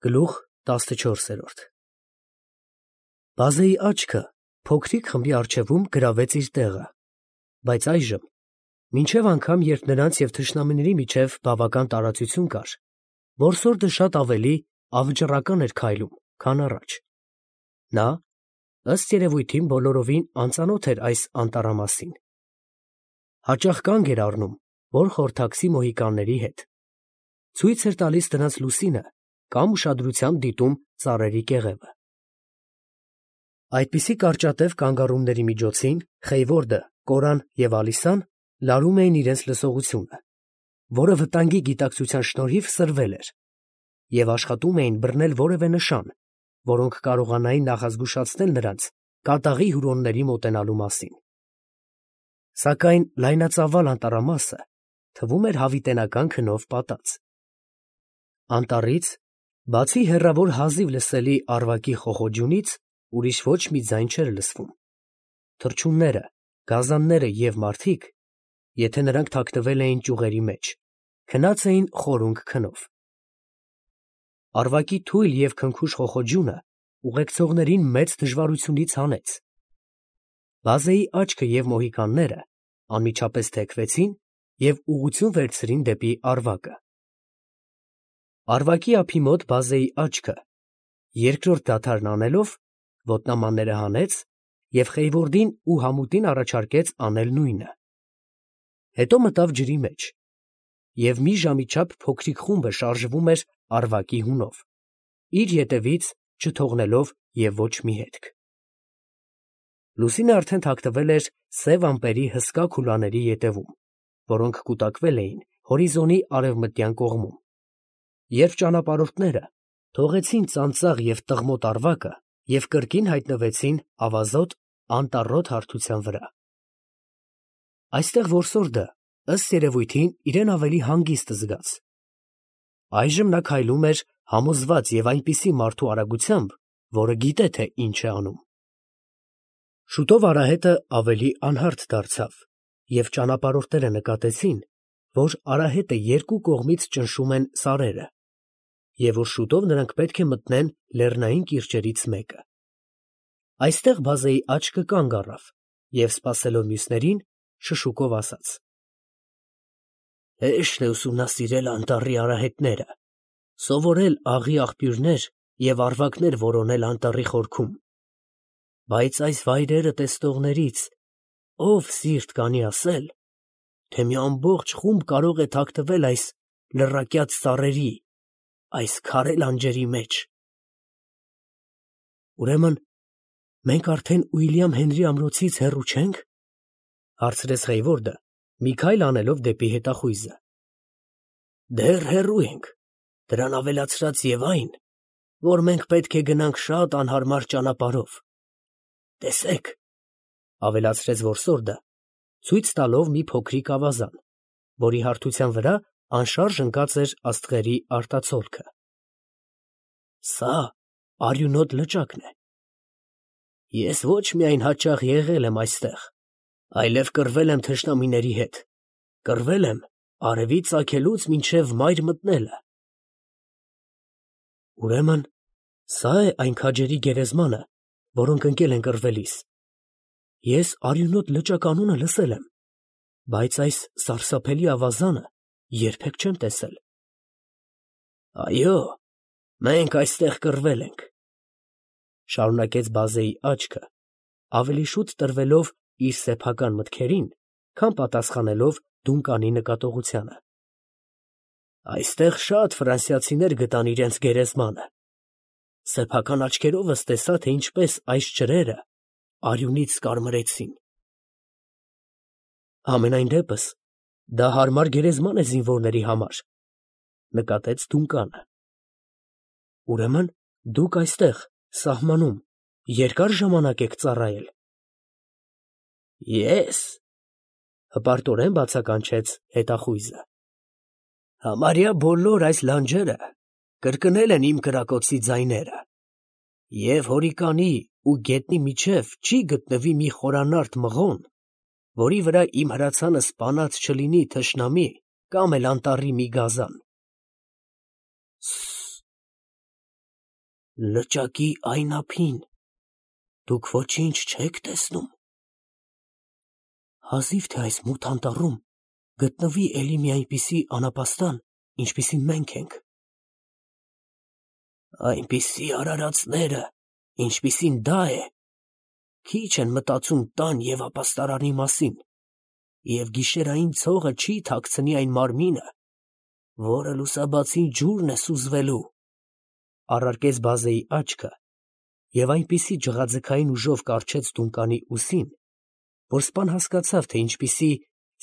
Գլուխ 14 Բազեի աչքը փոքրիկ խմբի առջևում գրավեց իր տեղը, բայց այժմ, մինչև անգամ, երբ նրանց և թշնամիների միջև բավական տարածություն կար, որսորդը շատ ավելի ավճռական էր քայլում, քան առաջ. նա, ըստ երևույթին, բոլորովին անծանոթ էր այս անտառամասին. հաճախ կանգ էր առնում, որ խորհրդակցի մոհիկանների հետ, ցույց էր տալիս նրանց լուսինը կամ ուշադրությամբ դիտում ծառերի կեղևը։ Այդպիսի կարճատև կանգ առումների միջոցին Խեյվորդը, Կորան և Ալիսան լարում էին իրենց լսողությունը, որը վտանգի գիտակցության շնորհիվ սրվել էր, և աշխատում էին բռնել որևէ նշան, որոնք կարողանային նախազգուշացնել նրանց կատաղի հյուրոնների մոտենալու մասին։ Սակայն լայնածավալ անտառամասը թվում էր հավիտենական քնով պատած։ Անտառից, բացի հեռավոր հազիվ լսելի ավրակի խոխոջյունից, ուրիշ ոչ մի ձայն չէր լսվում։ Թռչունները, գազանները և մարդիկ, եթե նրանք թաքնվել էին ճյուղերի մեջ, քնած էին խորունգ քնով։ Ավրակի թույլ և քնքուշ խոխոջյունը ուղեկցողներին մեծ դժվարությունից հանեց։ Բազեի աչքը և մոհիկանները անմիջապես թեքվեցին և ուղղություն վերցրին դեպի ավրակը։ Ավրակի ափի մոտ Բազեի աչքը, երկրորդ դադարն անելով, ոտնամանները հանեց և Խեյվորդին ու համուտին առաջարկեց անել նույնը։ Հետո մտավ ջրի մեջ, և մի ժամի չափ փոքրիկ խումբը շարժվում էր ավրակի հունով, իր ետևից չթողնելով և ոչ մի հետք։ Լուսինը արդեն թաքնվել էր սև ամպերի հսկա քուլաների ետևում, որոնք կուտակվել էին հորիզոնի արևմտյան կողմում, երբ ճանապարհորդները թողեցին ծանծաղ և տղմոտ ավրակը և կրկին հայտնվեցին ավազոտ, անտառոտ հարթության վրա։ Այստեղ որսորդը, ըստ երևույթին, իրեն ավելի հանգիստ զգաց։ Այժմ նա քայլում էր համոզված և այնպիսի մարդու արագությամբ, որը գիտե, թե ինչ է անում։ Շուտով արահետը ավելի անհարթ դարձավ, և ճանապարհորդները նկատեցին, որ արահետը երկու կողմից ճնշում են սարերը, և որ շուտով նրանք պետք է մտնեն լեռնային կիրճերից մեկը։ Այստեղ Բազեի աչքը կանգ առավ և, սպասելով մյուսներին, շշուկով ասաց. «Հեշտ է ուսումնասիրել անտառի արահետները, սովորել աղի աղբյուրներ և ավրակներ որոնել անտառի խորքում, բայց այս վայրերը տեսնողներից ով սիրտ կանի ասել, թե մի ամբողջ խումբ կարող է թաքնվել այս լռակյաց սարերի, այս քարե լանջերի մեջ»։ «Ուրեմն մենք արդեն Ուիլյամ Հենրի ամրոցից հեռու չե՞նք, ֊ հարցրեց Խեյվորդը, մի քայլ անելով դեպի հետախույզը։ ֊ Դեռ հեռու ենք, դրան ավելացրած և այն, որ մենք պետք է գնանք շատ անհարմար ճանապարհով։ Տեսեք, ֊ ավելացրեց որսորդը, ցույց տալով մի փոքրիկ ավազան, որի հարթության վրա անշարժ ընկած էր աստղերի արտացոլքը։ Սա արյունոտ լճակն է։ Ես ոչ միայն հաճախ եղել եմ այստեղ, այլև կռվել եմ թշնամիների հետ, կռվել եմ արևի ծագելուց մինչև մայր մտնելը։ Ուրեմն սա է այն քաջերի գերեզմանը, որոնք ընկել են կռվելիս։ Ես արյունոտ լճակ անունը լսել եմ, բայց այս սարսափելի ավազանը երբեք չեմ տեսել։ Այո, մենք այստեղ կռվել ենք, ֊ շարունակեց Բազեի աչքը, ավելի շուտ տրվելով իր սեփական մտքերին, քան պատասխանելով Դունկանի նկատողությանը։ Այստեղ շատ ֆրանսիացիներ գտան իրենց գերեզմանը։ Սեփական աչքերովս տեսա, թե ինչպես այս ջրերը արյունից կարմրեցին։ Համենայն դեպս դա հարմար գերեզման է զինվորների համար, ֊ նկատեց Դունկանը։ Ուրեմն դուք այստեղ, սահմանում, երկար ժամանակ եք ծառայել։ Ես, ֊ հպարտորեն բացականչեց հետախույզը, համարյա բոլոր այս լանջերը կրկնել են իմ կրակոցի ձայները, և հորիկանի ու գետնի միջև չի գտնվի մի խորանարդ մղոն, որի վրա իմ հրացանը սպանած չլինի թշնամի կամ էլ անտառի մի գազան։ Լճակի այն ափին դուք ոչինչ չեք տեսնում։ Հազիվ թե այս մութ անտառում գտնվի էլի մի այնպիսի անապաստան, ինչպիսին մենք ենք։ Այնպիսի արարածները, ինչպիսին դա է, քիչ են մտածում տան և ապաստարանի մասին, և գիշերային ցողը չի թաքցնի այն մարմինը, որը լուսաբացին ջուրն է սուզվելու, առարկեց Բազեի աչքը և այնպիսի ջղաձգային ուժով կառչեց Դունկանի ուսին, որ սպան հասկացավ, թե ինչպիսի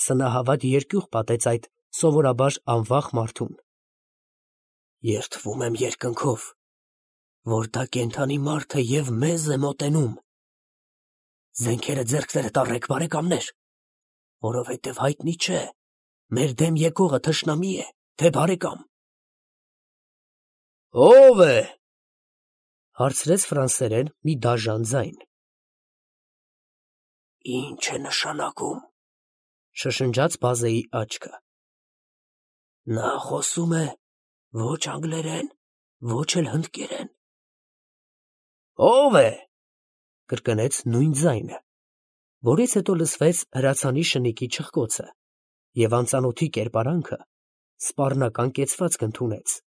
սնահավատ երկյուղ պատեց այդ սովորաբար անվախ մարդուն։ Երդվում եմ երկնքով, որ դա կենդանի մարդ է և մեզ է մոտենում։ Զենքերը ձեռքներդ առեք, բարեկամներ, որովհետև հայտնի չէ, մեր դեմ եկողը թշնամի է, թե բարեկամ։ Ո՞վ է, հարցրեց ֆրանսերեն մի դաժան ձայն։ Ինչ է նշանակում, շշնջաց Բազեի աչքը։ Նա խոսում է ոչ անգլերեն, ոչ էլ հնդկերեն։ Ո՞վ է, կրկնեց նույն ձայնը, որից հետո լսվեց հրացանի շնիկի չխկոցը, և անծանոթի կերպարանքը սպառնական կեցվածք ընդունեց։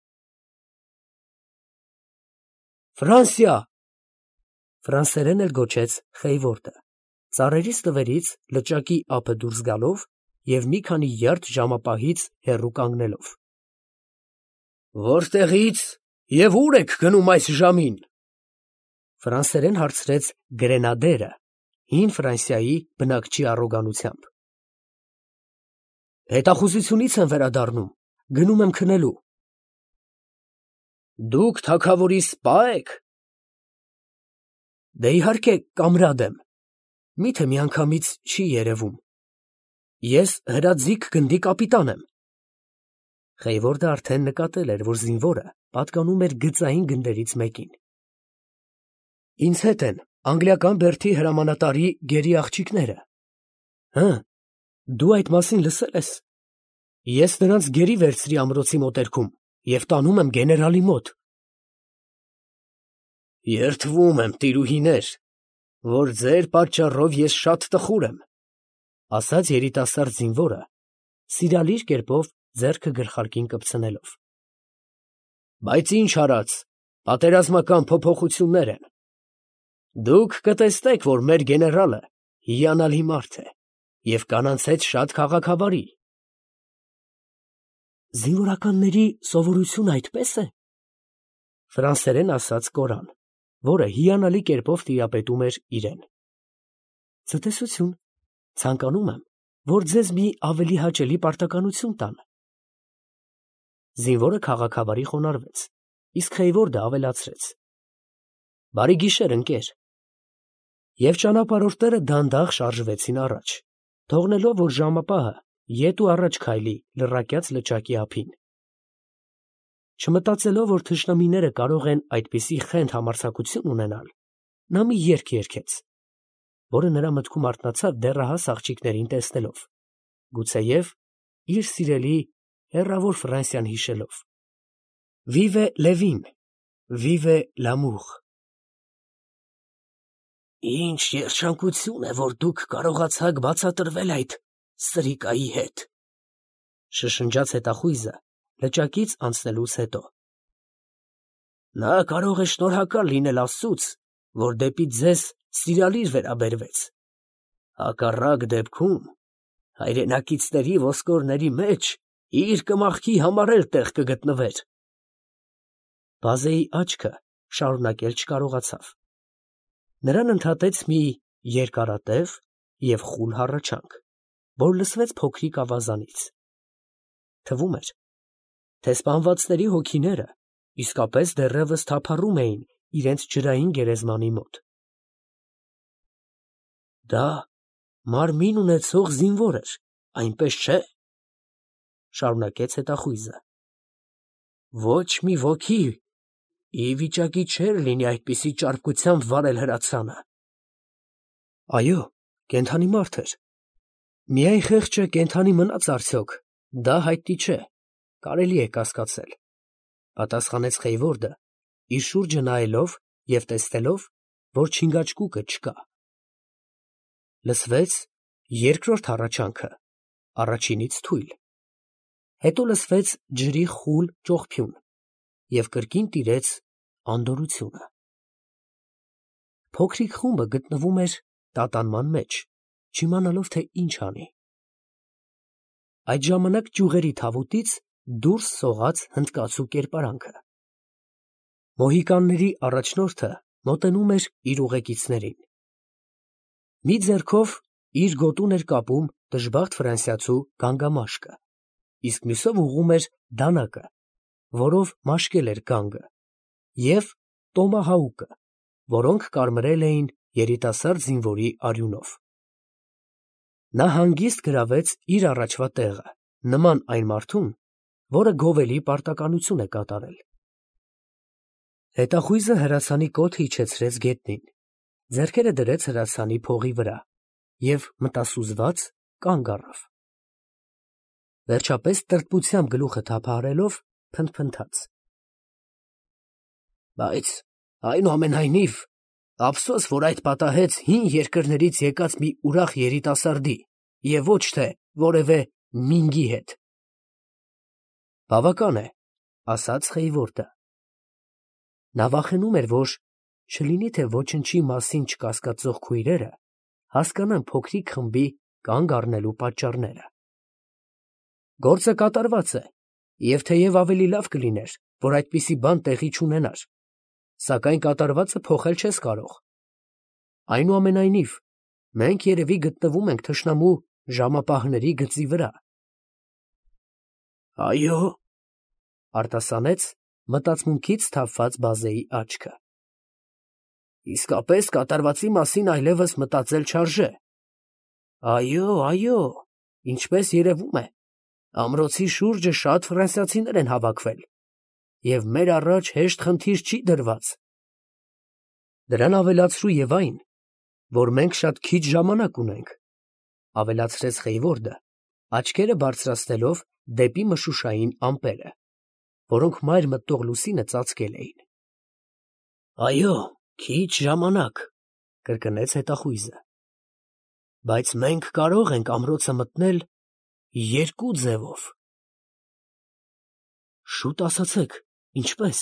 Ֆրանսիա, ֆրանսերեն էլ գոչեց Խեյվորդը, ծառերի ստվերից լճակի ափը դուրս գալով և մի քանի յարդ ժամապահից հեռու կանգնելով։ Որտեղի՞ց և ո՞ւր եք գնում այս ժամին, ֆրանսերեն հարցրեց գրենադերը, հին Ֆրանսիայի բնակչի առոգանությամբ։ Հետախուզությունից եմ վերադառնում, գնում եմ քնելու։ Դուք թագավորի սպա եք։ Դե իհարկե, կամրադ եմ, միթե միանգամից չի երևում։ Ես հրաձիգ գնդի կապիտան եմ։ Խեյվորդը արդեն նկատել էր, որ զինվորը պատկանում էր գծային գնդերից մեկին։ Ինձ հետ են անգլիական բերդի հրամանատարի գերի աղջիկները։ Հը, դու այդ մասին լսել ես։ Ես նրանց գերի վերցրի ամրոցի մոտերքում և տանում եմ գեներալի մոտ։ Երդվում եմ, տիրուհիներ, որ ձեր պատճառով ես շատ տխուր եմ, ասաց երիտասարդ զինվորը, սիրալիր կերպով ձեռքը գլխարկին կպցնելով։ Բայց ինչ արած, պատերազմական փոփոխություններ են։ Դուք կտեսնեք, որ մեր գեներալը հիանալի մարդ է և կանանց հետ շատ քաղաքավարի։ Զինվորականների սովորությունը այդպես է, ֆրանսերեն ասաց Կորան, որը հիանալի կերպով տիրապետում էր իրեն։ Ցտեսություն, ցանկանում եմ, որ ձեզ մի ավելի հաճելի պարտականություն տան։ Զինվորը քաղաքավարի խոնարհվեց, իսկ Խեյվորդը ավելացրեց. Բարի գիշեր, ընկեր։ Եվ ճանապարհորդները դանդաղ շարժվեցին առաջ, թողնելով, որ ժամապահը ետ ու առաջ քայլի լռակյաց լճակի ափին։ Չմտածելով, որ թշնամիները կարող են այդպիսի խենթ համարձակություն ունենալ, նա մի երգ երգեց, որը նրա մտքում արթնացավ դեռահաս աղջիկներին տեսնելով, գուցեև իր սիրելի հեռավոր Ֆրանսիան հիշելով։ Vive Levin, vive l'amour։ Ինչ երջանկություն է, որ դուք կարողացաք բացատրվել այդ սրիկայի հետ, շշնջաց հետախույզը լճակից անցնելուց հետո։ Նա կարող է շնորհակալ լինել Աստծուց, որ դեպի ձեզ սիրալիր վերաբերվեց։ Հակառակ դեպքում հայրենակիցների ոսկորների մեջ իր կմախքի համար էլ տեղ կգտնվեր։ Բազեի աչքը շարունակել չկարողացավ։ Նրան ընդհատեց մի երկարատև և խուլ հառաչանք, որ լսվեց փոքրիկ ավազանից։ Թվում էր, թե սպանվածների հոգիները իսկապես դեռևս թափառում էին իրենց ջրային գերեզմանի մոտ։ Դա մարմին ունեցող զինվոր էր, այնպես չէ, շարունակեց հետախույզը։ Ոչ մի ոգի ի վիճակի չէր լինի այդպիսի ճարպկությամբ վարել հրացանը։ Այո, կենդանի մարդ էր։ Միայն խեղճը կենդանի մնաց արդյոք, դա հայտնի չէ, կարելի է կասկածել, պատասխանեց Խեյվորդը իր շուրջը նայելով և տեսնելով, որ չինգաչկուկը չկա։ Լսվեց երկրորդ հառաչանքը, առաջինից թույլ, հետո լսվեց ջրի խուլ ճողփյուն և կրկին տիրեց անդորրությունը։ Փոքրիկ խումբը գտնվում էր տատանման մեջ, չիմանալով, թե ինչ անի։ Այդ ժամանակ ճյուղերի թավուտից դուրս սողաց հնդկացու կերպարանքը։ Մոհիկանների առաջնորդը մոտենում էր իր ուղեկիցներին։ Մի ձեռքով իր գոտուն էր կապում դժբախտ ֆրանսիացու գանգամաշկը, իսկ մյուսով ուղղում էր դանակը, որով մաշկել էր գանգը, և տոմահաուկը, որոնք կարմրել էին երիտասարդ զինվորի արյունով։ Նա հանգիստ գրավեց իր առաջվա տեղը, նման այն մարդուն, որը գովելի պարտականություն է կատարել։ Հետախույզը հրացանի կոթը իջեցրեց գետնին, ձեռքերը դրեց հրացանի փողի վրա և մտասուզված կանգ առավ։ Վերջապես տրտմությամբ գլուխը թափահարելով փնթփնթաց. Բայց այնուամենայնիվ, ափսոս, որ այդ պատահեց հին երկրներից եկած մի ուրախ երիտասարդի և ոչ թե որևէ մինգի հետ։ Բավական է, ասաց Խեյվորդը։ Նա վախենում էր, որ չլինի թե ոչնչի մասին չկասկածող քույրերը հասկանան փոքրիկ խմբի կանգ առնելու պատճառները։ Գործը կատարված է, և թեև ավելի լավ կլիներ, որ այդպիսի բան տեղի չունենար, սակայն կատարվածը փոխել չես կարող։ Այնուամենայնիվ, մենք երևի գտնվում ենք թշնամու ժամապահների գծի վրա։ Այո, արտասանեց մտածմունքից թափված Բազեի աչքը։ Իսկապես կատարվածի մասին այլևս մտածել չարժե։ Այո, ինչպես երևում է, ամրոցի շուրջը շատ ֆրանսիացիներ են հավաքվել, և մեր առաջ հեշտ խնդիր չի դրված։ Դրան ավելացրու և այն, որ մենք շատ քիչ ժամանակ ունենք, ավելացրեց Խեյվորդը, աչքերը բարձրացնելով դեպի մշուշային ամպերը, որոնք մայր մտող լուսինը ծածկել էին։ Այո, քիչ ժամանակ, կրկնեց հետախույզը, բայց մենք կարող ենք ամրոցը մտնել երկու ձևով։ Շուտ ասացեք, ինչպես,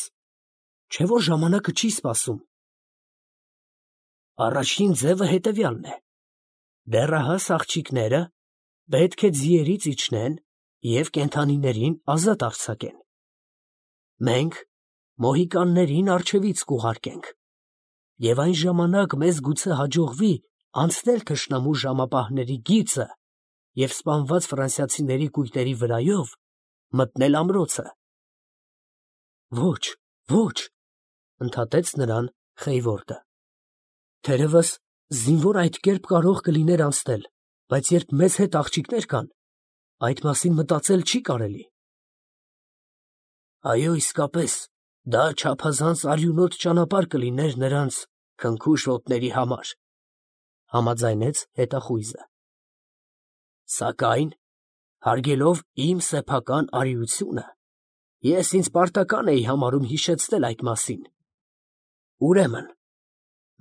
չէ՞ որ ժամանակը չի սպասում։ Առաջին ձևը հետևյալն է. դեռահաս աղջիկները պետք է ձիերից իջնեն և կենդանիներին ազատ արձակեն։ Մենք մոհիկաններին առջևից կուղարկենք, և այն ժամանակ մեզ գուցե հաջողվի անցնել թշնամու ժամապահների գիծը և սպանված ֆրանսիացիների կույտերի վրայով մտնել ամրոցը։ Ոչ, ընդհատեց նրան Խեյվորդը. թերևս զինվոր այդ կերպ կարող կլիներ անցնել, բայց երբ մեզ հետ աղջիկներ կան, այդ մասին մտածել չի կարելի։ Այո, իսկապես, դա չափազանց արյունոտ ճանապարհ կլիներ նրանց քնքուշ ոտների համար, համաձայնեց հետախույզը։ Սակայն, հարգելով իմ սեփական արիությունը, ես ինձ պարտական էի համարում հիշեցնել այդ մասին։ Ուրեմն,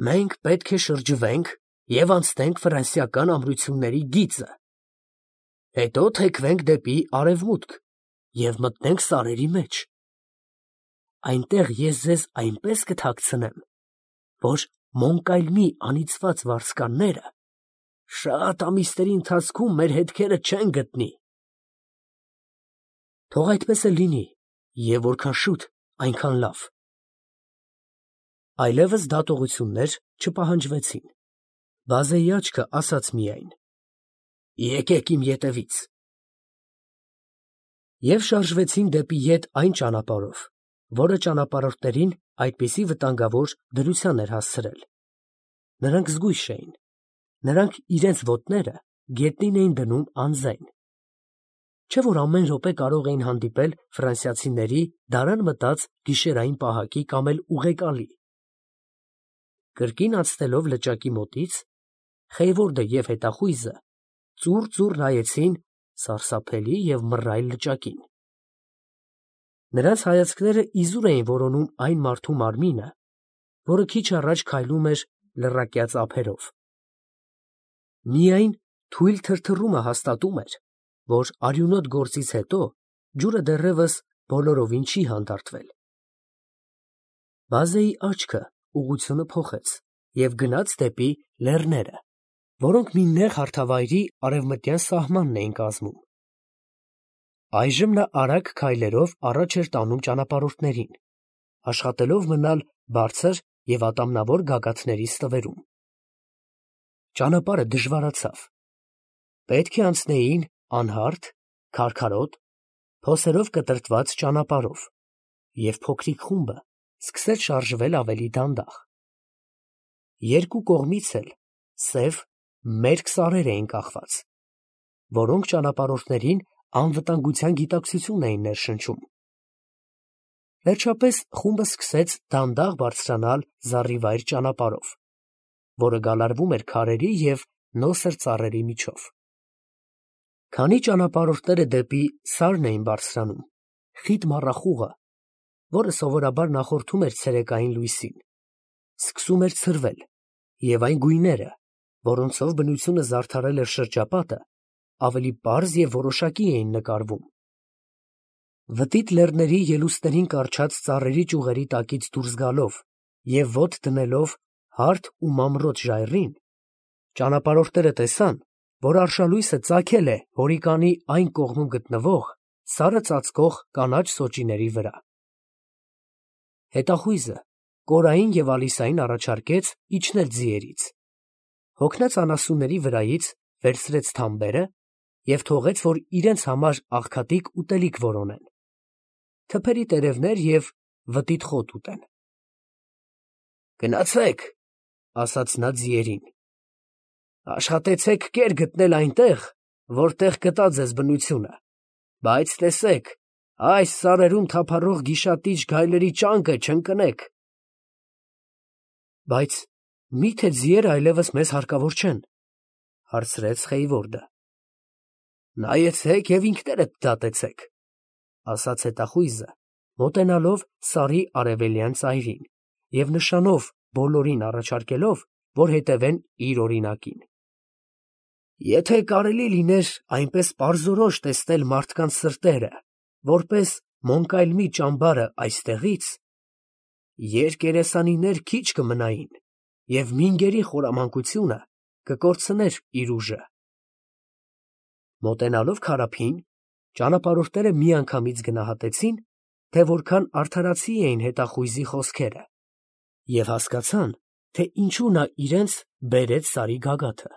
մենք պետք է շրջվենք և անցնենք ֆրանսիական ամրությունների գիծը, հետո թեքվենք դեպի արևմուտք և մտնենք սարերի մեջ։ Այնտեղ ես ձեզ այնպես կթաքցնեմ, որ Մոնկայլմի անիծված վարձկանները շատ ամիսների ընթացքում մեր հետքերը չեն գտնի։ Թող այդպես էլ լինի, և որքան շուտ, այնքան լավ։ Այլևս դատողություններ չպահանջվեցին։ Բազեի աչքը ասաց միայն. Եկեք իմ ետևից։ Եվ շարժվեցին դեպի ետ այն ճանապարհով, որը ճանապարհորդներին այդպիսի վտանգավոր դրության էր հասցրել։ Նրանք զգույշ էին։ Նրանք իրենց ոտները գետնին էին դնում անզայն։ Չէ՞ որ ամեն րոպե կարող էին հանդիպել ֆրանսիացիների դարան մտած գիշերային պահակի կամ էլ ուղեկալի։ Կրկին անցնելով լճակի մոտից, Խեյվորդը և հետախույզը ծուռ նայեցին սարսափելի և մռայլ լճակին։ Նրանց հայացքները իզուր էին որոնում այն մարդու մարմինը, որը քիչ առաջ քայլում էր լռակյաց ափերով։ Միայն թույլ թրթռումը հաստատում էր, որ արյունոտ գործից հետո ջուրը դեռևս բոլորովին չի հանդարտվել։ Բազեի աչքը ուղղությունը փոխեց և գնաց դեպի լեռները, որոնք մի նեղ հարթավայրի արևմտյան սահմանն էին կազմում։ Այժմ նա արագ քայլերով առաջ էր տանում ճանապարհորդներին, աշխատելով մնալ բարձր և ատամնավոր գագաթների ստվերում։ Ճանապարհը դժվարացավ։ Պետք է անցնեին անհարթ, քարքարոտ, փոսերով կտրտված ճանապարհով, և փոքրիկ խումբը սկսեց շարժվել ավելի դանդաղ։ Երկու կողմից էլ սև, մերկ սարեր էին կախված, որոնք ճանապարհորդներին անվտանգության գիտակցություն էին ներշնչում։ Վերջապես խումբը սկսեց դանդաղ բարձրանալ զառիվայր ճանապարհով, որը գալարվում էր քարերի և նոսր ծառերի միջով։ Քանի ճանապարհորդները դեպի սարն էին բարձրանում, խիտ մառախուղը, որը սովորաբար նախորդում էր ցերեկային լույսին, սկսում էր ցրվել, և այն գույները, որոնցով բնությունը զարդարել էր շրջապատը, ավելի պարզ և որոշակի էին նկարվում։ Վտիտ լեռների ելուստերին կառչած ծառերի ճյուղերի տակից դուրս գալով և ոտ դնելով հարթ ու մանրոտ ժայռին, ճանապարհորդները տեսան, որ արշալույսը ծագել է հորիկանի այն կողմում գտնվող սարը ծածկող կանաչ սոճիների վրա։ Հետախույզը կորային և Ալիսային առաջարկեց իջնել ձիերից, հոգնած անասունների վրայից վերցրեց թամբերը և թողեց, որ իրենց համար աղքատիկ ուտելիք որոնեն, թփերի տերևներ և վտիտ խոտ ուտեն։ «Գնացեք», ֊ ասաց նա ձիերին, «աշխատեցեք կեր գտնել այնտեղ, որտեղ գտա ձեզ բնությունը, բայց տեսեք, այս սարերում թափառող գիշատիչ գայլերի ճանկը չընկնեք»։ «Բայց մի՞թե ձիերը այլևս մեզ հարկավոր չեն, ֊ հարցրեց Խեյվորդը։ ֊ Նայեցեք և ինքներդ դատեցեք, ֊ ասաց հետախույզը, մոտենալով սարի արևելյան ծայրին և նշանով բոլորին առաջարկելով, որ հետևեն իր օրինակին։ Եթե կարելի լիներ այնպես պարզորոշ տեսնել մարդկանց սրտերը, որպես Մոնկայլմի ճամբարը այստեղից, երկերեսանիներ քիչ կմնային, և մինգերի խորամանկությունը կկորցներ իր ուժը։ Մոտենալով քարափին, ճանապարհորդները միանգամից գնահատեցին, թե որքան արդարացի էին հետախույզի խոսքերը, և հասկացան, թե ինչու նա իրենց բերեց սարի գագաթը։